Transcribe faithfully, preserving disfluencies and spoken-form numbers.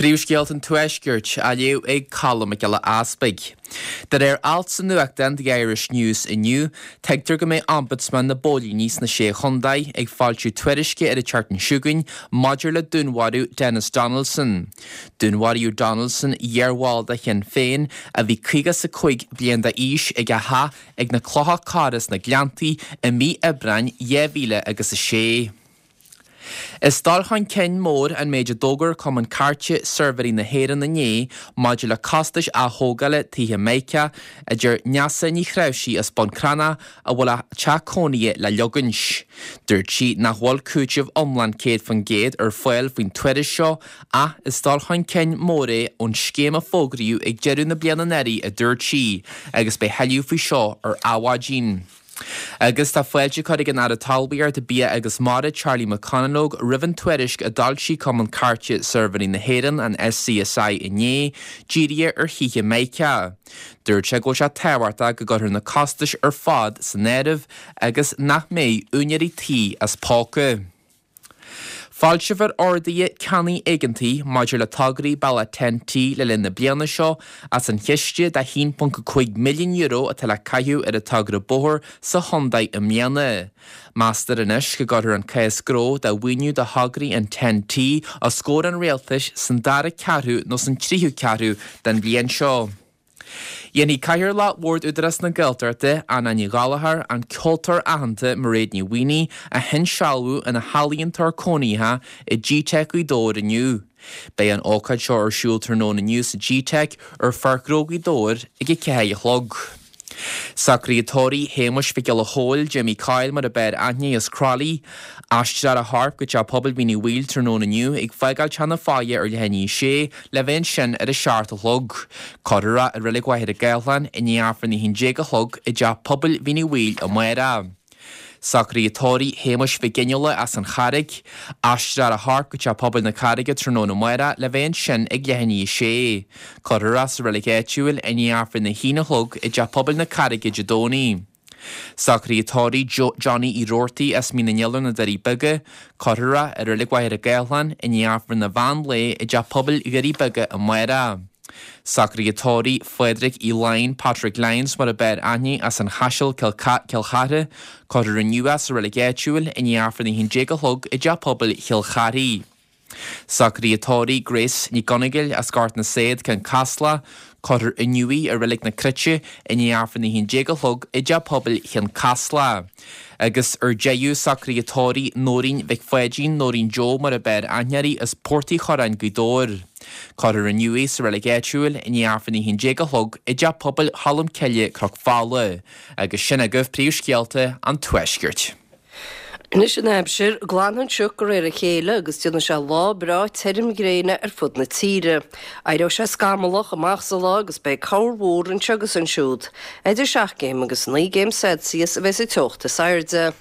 Príomhscéalta an Tuaiscirt á léamh ag Colm Mac Giolla Easpaig. De réir alt sa nuachtán The Irish News inniu, tuigtear go mbeidh Ombudsman na bPóilíní sna Sé Chontae ag foilsiú tuairisce ar an tseachtain seo chugainn maidir le dúnmharú Denis Donaldson. Dúnmharaíodh Donaldson, iarbhall de Shinn Féin, a bhí caoga is a cúig bliain d'aois ag a theach ag na Clocha Cora sna Gleanntaí i mí Aibreáin dhá mhíle agus a sé. Is dul chun cinn mór an méid a d'fhógair Cumann Cairte Suirbhéirí na hÉireann inné maidir le costais athógála tithe Meiriceá, a deir Neasa Ní Chráimhsí as Bun Cranncha a bhfuil a teach cónaithe le leogaint. Dúirt sí nach bhfuil cúiteamh iomlán céad faoin gcéad ar fáil faoin tuairisc seo ach is dul chun cinn mór é ón scéim a fógraíodh ag deireadh na bliana anuraidh, a dúirt sí, agus beidh tuilleadh faoi seo ar Adhmhaidin. Agus tá fáilte curtha ag an Aire Talmhaíochta, Bia agus Mara, Charlie McConalogue, roimh an tuairisc a d'fhoilsigh Cumann Cairte Suirbhéirí na hÉireann, an SCSI, inné, dírithe ar thithe Meiriceá. Dúirt sé go bhfuil sé tábhachtach go gcuirfear na costais ar fad san áireamh agus nach mbeidh úinéirí tí as póca. Foilseofar orduithe ceannaigh éigeantaigh maidir le tograí bealach Ten-T le linn na bliana seo as an chiste de haon ponc cúig milliún euro atá le caitheamh ar an togra bóthair sa chontae i mbliana. Meastar anois go gcuirfear an cás gnó do mhaoiniú do thograí an Ten-T os comhair an rialtais san dara ceathrú nó san tríú ceathrú den bhliain seo. Dhéanfaidh Cathaoirleach Bhord Údarás na Gaeltachta, Anna Ní Ghallchóir, an ceoltóir aitheanta Mairéad Ní Mhaonaigh a hinsealbhú ina healaíontóir cónaitheach i G-Teic Ghaoth Dobhair inniu. Beidh an ócáid seo ar siúl tráthnóna inniu sa G-Teic ar Pháirc Ghnó Ghaoth Dobhair ag a ceathair a chlog. Socruithe tórraimh Shéamuis Mhic Giolla Chóill, Jimmy Coyle mar a b'fhearr aithne as Crolly. Aistreofar a chorp go teach pobail Mhín Uí Bhaoill tráthnóna inniu ag fágáil Teach na Fáighe ar leath i ndiaidh a sé le bheith ansin ar a seacht a chlog. Cuirfear é i Reilig Mhachaire Gathlán i ndiaidh Aifreann a haon déag a chlog i dteach pobail Mhín Uí Bhaoill amárach. Socruithe tórraimh Shéamuis Mhic Fhionnghaile as an Charraig. Aistreofar a chorp go teach pobail na Carraige tráthnóna amárach le bheith ansin ag leath i ndiaidh a sé. Cuirfear é sa reilig áitiúil i ndiaidh Aifreann a haon a chlog i dteach pobail na Carraige Dé Domhnaigh. Socruithe tórraimh Johnny Uí Roarty as Mín na nIolar na Doirí Beaga. Cuirfear é i reilig Mhachaire Gathlán i ndiaidh Aifreann an mheán lae i dteach pobail Dhoirí Beaga amárach. Socruithe tórraimh Phádraig Uí Laighin, Patrick Lyons mar a b'fhearr aithne as an Chaiseal Cill Chartha, cuirfear inniu é sa reilig áitiúil i ndiaidh Aifreann a haon déag a chlog i dteach pobail Chill Charthaigh. Socruithe tórraimh Grace Ní Dhonnagáin as Gort na Saad Cionn Caslach, cuirfear inniu í i reilig na Cruite i ndiaidh Aifreann a haon déag a chlog i dteach pobail Chionn Caslach. Agus ar deireadh socruithe tórraimh Nóirín Mhic Pháidín, Nóirín Joe mar a b'fhearr aithne uirthi as Port Uí Churráin Gaoth Dobhair. Cuirfear inniu í sa reilig áitiúil i ndiaidh Aifreann a haon déag a chlog i dteach pobail Cholm Cille Cnoc Fola. Agus sin agaibh príomhscéalta an Tuaiscirt. Anois an aimsir, glanfaidh an sioc de réir a chéile agus déanfaidh sé lá breá tirim gréine ar fud na tíre. Éireoidh sé scamallach amach sa lá agus beidh corrmhúr anseo agus ansiúd. Idir seacht gcéim agus naoi gcéim Celsius a bheidh sa teocht is airde.